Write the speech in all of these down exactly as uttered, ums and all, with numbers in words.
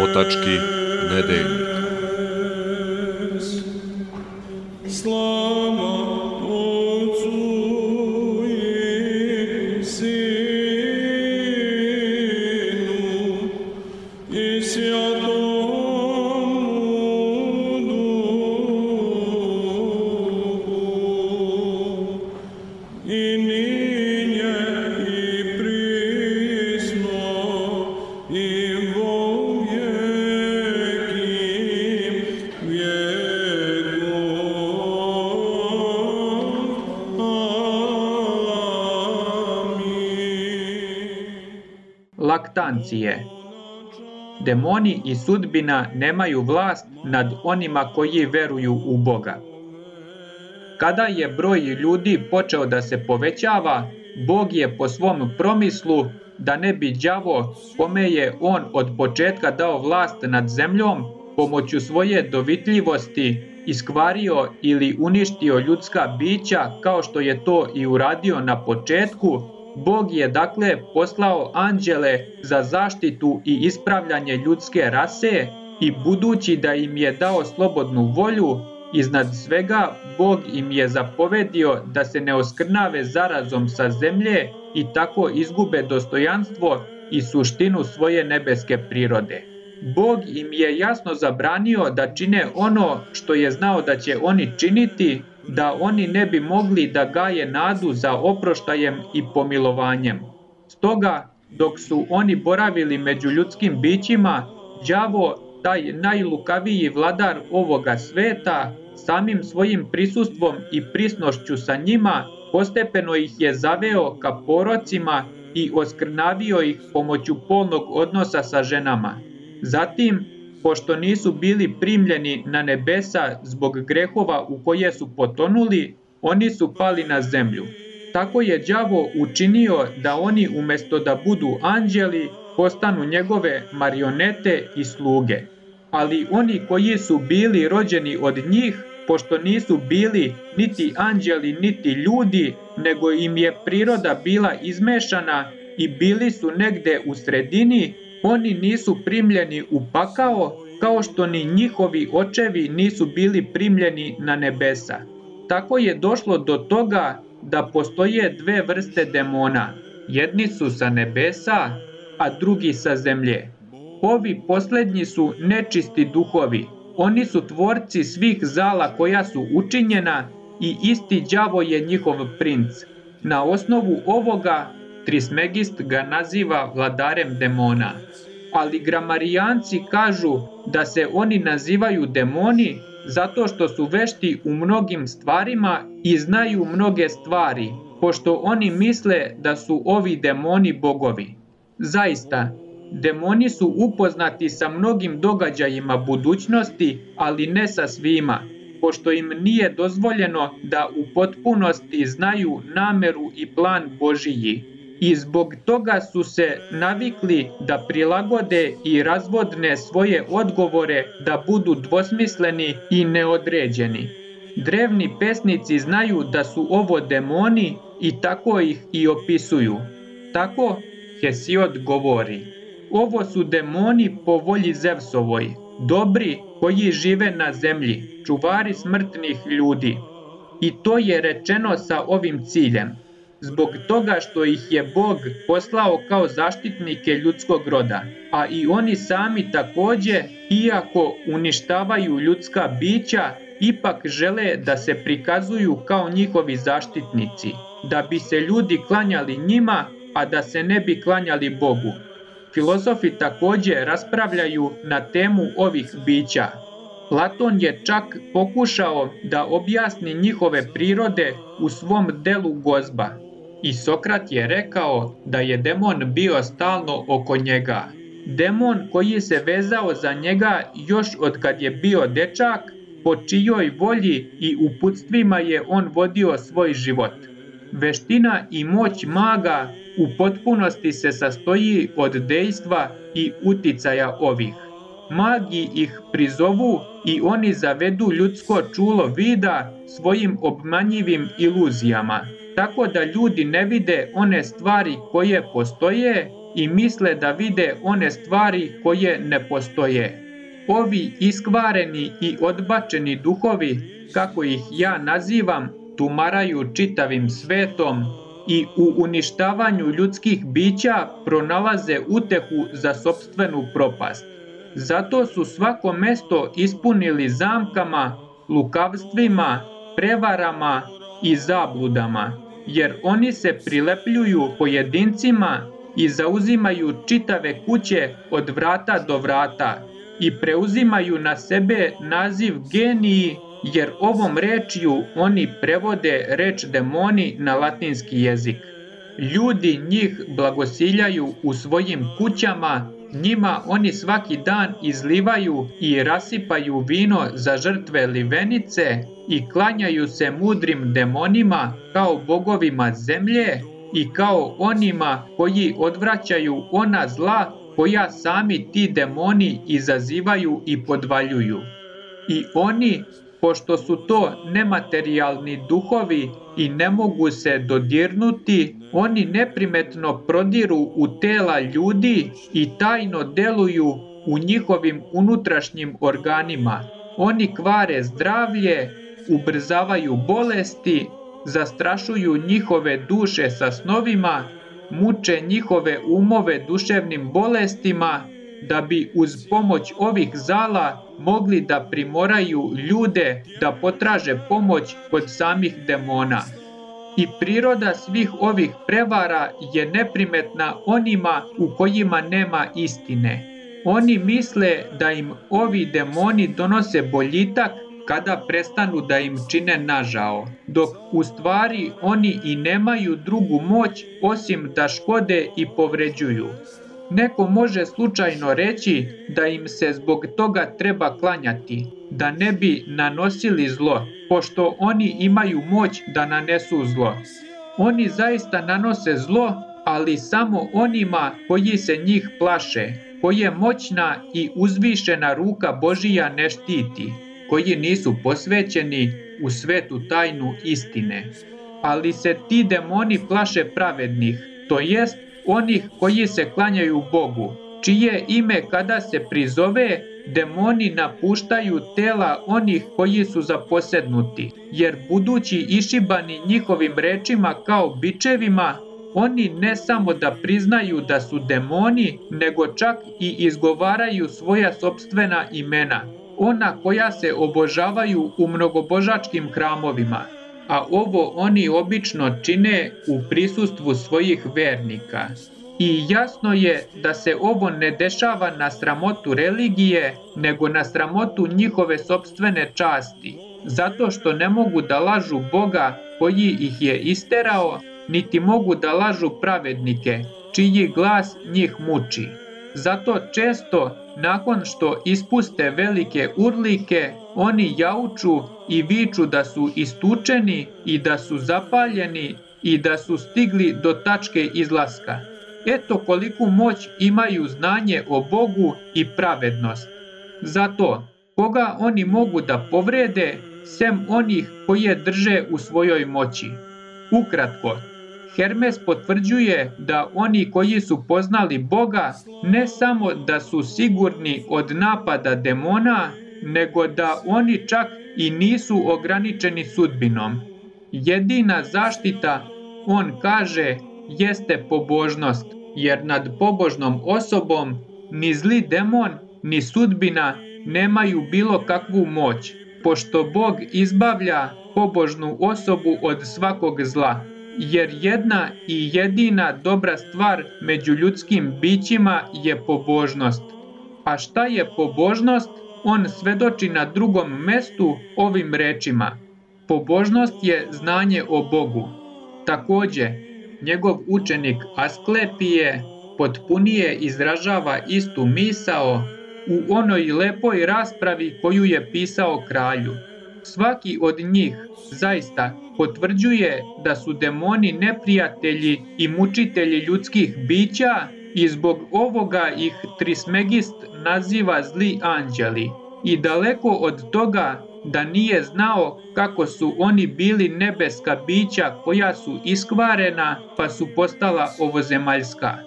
Otački nedeljnik. Laktancije. Demoni i sudbina nemaju vlast nad onima koji veruju u Boga. Kada je broj ljudi počeo da se povećava, Bog je po svom promislu, da ne bi đavo, kome je on od početka dao vlast nad zemljom, pomoću svoje dovitljivosti iskvario ili uništio ljudska bića kao što je to i uradio na početku, Bog je dakle poslao anđele za zaštitu i ispravljanje ljudske rase i budući da im je dao slobodnu volju, iznad svega Bog im je zapovedio da se ne oskrnave zarazom sa zemlje i tako izgube dostojanstvo i suštinu svoje nebeske prirode. Bog im je jasno zabranio da čine ono što je znao da će oni činiti, da oni ne bi mogli da gaje nadu za oproštajem i pomilovanjem. Stoga, dok su oni boravili među ljudskim bićima, đavo, taj najlukaviji vladar ovoga sveta, samim svojim prisustvom i prisnošću sa njima, postepeno ih je zaveo ka porocima i oskrnavio ih pomoću polnog odnosa sa ženama. Zatim, pošto nisu bili primljeni na nebesa zbog grehova u koje su potonuli, oni su pali na zemlju. Tako je đavo učinio da oni umjesto da budu anđeli, postanu njegove marionete i sluge. Ali oni koji su bili rođeni od njih, pošto nisu bili niti anđeli niti ljudi, nego im je priroda bila izmešana i bili su negde u sredini, oni nisu primljeni u pakao, kao što ni njihovi očevi nisu bili primljeni na nebesa. Tako je došlo do toga da postoje dve vrste demona. Jedni su sa nebesa, a drugi sa zemlje. Ovi poslednji su nečisti duhovi. Oni su tvorci svih zala koja su učinjena i isti đavo je njihov princ. Na osnovu ovoga Trismegist ga naziva vladarem demona. Ali gramarijanci kažu da se oni nazivaju demoni zato što su vešti u mnogim stvarima i znaju mnoge stvari, pošto oni misle da su ovi demoni bogovi. Zaista, demoni su upoznati sa mnogim događajima budućnosti, ali ne sa svima, pošto im nije dozvoljeno da u potpunosti znaju nameru i plan Božiji. I zbog toga su se navikli da prilagode i razvodne svoje odgovore da budu dvosmisleni i neodređeni. Drevni pesnici znaju da su ovo demoni i tako ih i opisuju. Tako Hesiod govori: ovo su demoni po volji Zevsovoj, dobri koji žive na zemlji, čuvari smrtnih ljudi. I to je rečeno sa ovim ciljem, zbog toga što ih je Bog poslao kao zaštitnike ljudskog roda, a i oni sami takođe, iako uništavaju ljudska bića, ipak žele da se prikazuju kao njihovi zaštitnici, da bi se ljudi klanjali njima, a da se ne bi klanjali Bogu. Filozofi takođe raspravljaju na temu ovih bića. Platon je čak pokušao da objasni njihove prirode u svom delu Gozba. I Sokrat je rekao da je demon bio stalno oko njega. Demon koji se vezao za njega još od kad je bio dečak, po čijoj volji i uputstvima je on vodio svoj život. Veština i moć maga u potpunosti se sastoji od dejstva i uticaja ovih. Magi ih prizovu i oni zavedu ljudsko čulo vida svojim obmanjivim iluzijama. tako da ljudi ne vide one stvari koje postoje i misle da vide one stvari koje ne postoje. Ovi iskvareni i odbačeni duhovi, kako ih ja nazivam, tumaraju čitavim svetom i u uništavanju ljudskih bića pronalaze utehu za sopstvenu propast. Zato su svako mesto ispunili zamkama, lukavstvima, prevarama i zabludama, jer oni se prilepljuju pojedincima i zauzimaju čitave kuće od vrata do vrata i preuzimaju na sebe naziv geniji, jer ovom rečju oni prevode reč demoni na latinski jezik. Ljudi njih blagosiljaju u svojim kućama, njima oni svaki dan izlivaju i rasipaju vino za žrtve livenice i klanjaju se mudrim demonima kao bogovima zemlje i kao onima koji odvraćaju ona zla koja sami ti demoni izazivaju i podvaljuju. I oni, pošto su to nematerijalni duhovi i ne mogu se dodirnuti, oni neprimetno prodiru u tela ljudi i tajno deluju u njihovim unutrašnjim organima. Oni kvare zdravlje, ubrzavaju bolesti, zastrašuju njihove duše sa snovima, muče njihove umove duševnim bolestima, da bi uz pomoć ovih zala mogli da primoraju ljude da potraže pomoć kod samih demona. I priroda svih ovih prevara je neprimetna onima u kojima nema istine. Oni misle da im ovi demoni donose boljitak kada prestanu da im čine nažao, dok u stvari oni i nemaju drugu moć osim da škode i povređuju. Neko može slučajno reći da im se zbog toga treba klanjati, da ne bi nanosili zlo, pošto oni imaju moć da nanesu zlo. Oni zaista nanose zlo, ali samo onima koji se njih plaše, koje moćna i uzvišena ruka Božija ne štiti, koji nisu posvećeni u svetu tajnu istine. Ali se ti demoni plaše pravednih, to jest onih koji se klanjaju Bogu, čije ime kada se prizove, demoni napuštaju tela onih koji su zaposednuti, jer budući išibani njihovim rečima kao bičevima, oni ne samo da priznaju da su demoni, nego čak i izgovaraju svoja sopstvena imena, ona koja se obožavaju u mnogobožačkim hramovima, a ovo oni obično čine u prisustvu svojih vernika. I jasno je da se ovo ne dešava na sramotu religije, nego na sramotu njihove sopstvene časti, zato što ne mogu da lažu Boga koji ih je isterao, niti mogu da lažu pravednike, čiji glas njih muči. Zato često, nakon što ispuste velike urlike, oni jauču i viču da su istučeni i da su zapaljeni i da su stigli do tačke izlaska. Eto koliku moć imaju znanje o Bogu i pravednost. Zato, koga oni mogu da povrede, sem onih koje drže u svojoj moći. Ukratko, Hermes potvrđuje da oni koji su poznali Boga ne samo da su sigurni od napada demona, nego da oni čak i nisu ograničeni sudbinom. Jedina zaštita, on kaže, jeste pobožnost, jer nad pobožnom osobom ni zli demon, ni sudbina nemaju bilo kakvu moć, pošto Bog izbavlja pobožnu osobu od svakog zla. Jer jedna i jedina dobra stvar među ljudskim bićima je pobožnost. A šta je pobožnost? On svedoči na drugom mestu ovim rečima. Pobožnost je znanje o Bogu. Takođe, njegov učenik Asklepije potpunije izražava istu misao u onoj lepoj raspravi koju je pisao kralju. Svaki od njih zaista potvrđuje da su demoni neprijatelji i mučitelji ljudskih bića i zbog ovoga ih Trismegist naziva zli anđeli. I daleko od toga da nije znao kako su oni bili nebeska bića koja su iskvarena pa su postala ovozemaljska.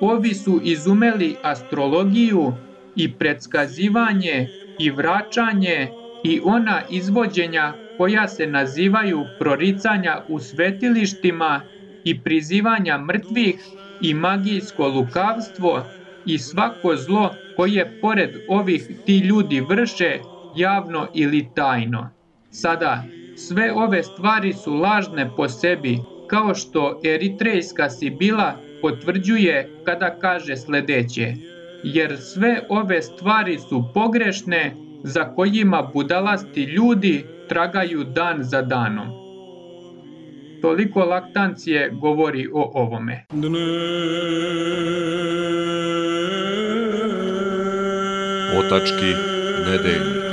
Ovi su izumeli astrologiju i predskazivanje i vraćanje i ona izvođenja koja se nazivaju proricanja u svetilištima i prizivanja mrtvih i magijsko lukavstvo i svako zlo koje pored ovih ti ljudi vrše javno ili tajno. Sada, sve ove stvari su lažne po sebi, kao što eritrejska Sibila potvrđuje kada kaže sledeće: jer sve ove stvari su pogrešne, za kojima budalasti ljudi tragaju dan za danom. Toliko Laktancije govori o ovome. Otački nedeljnik.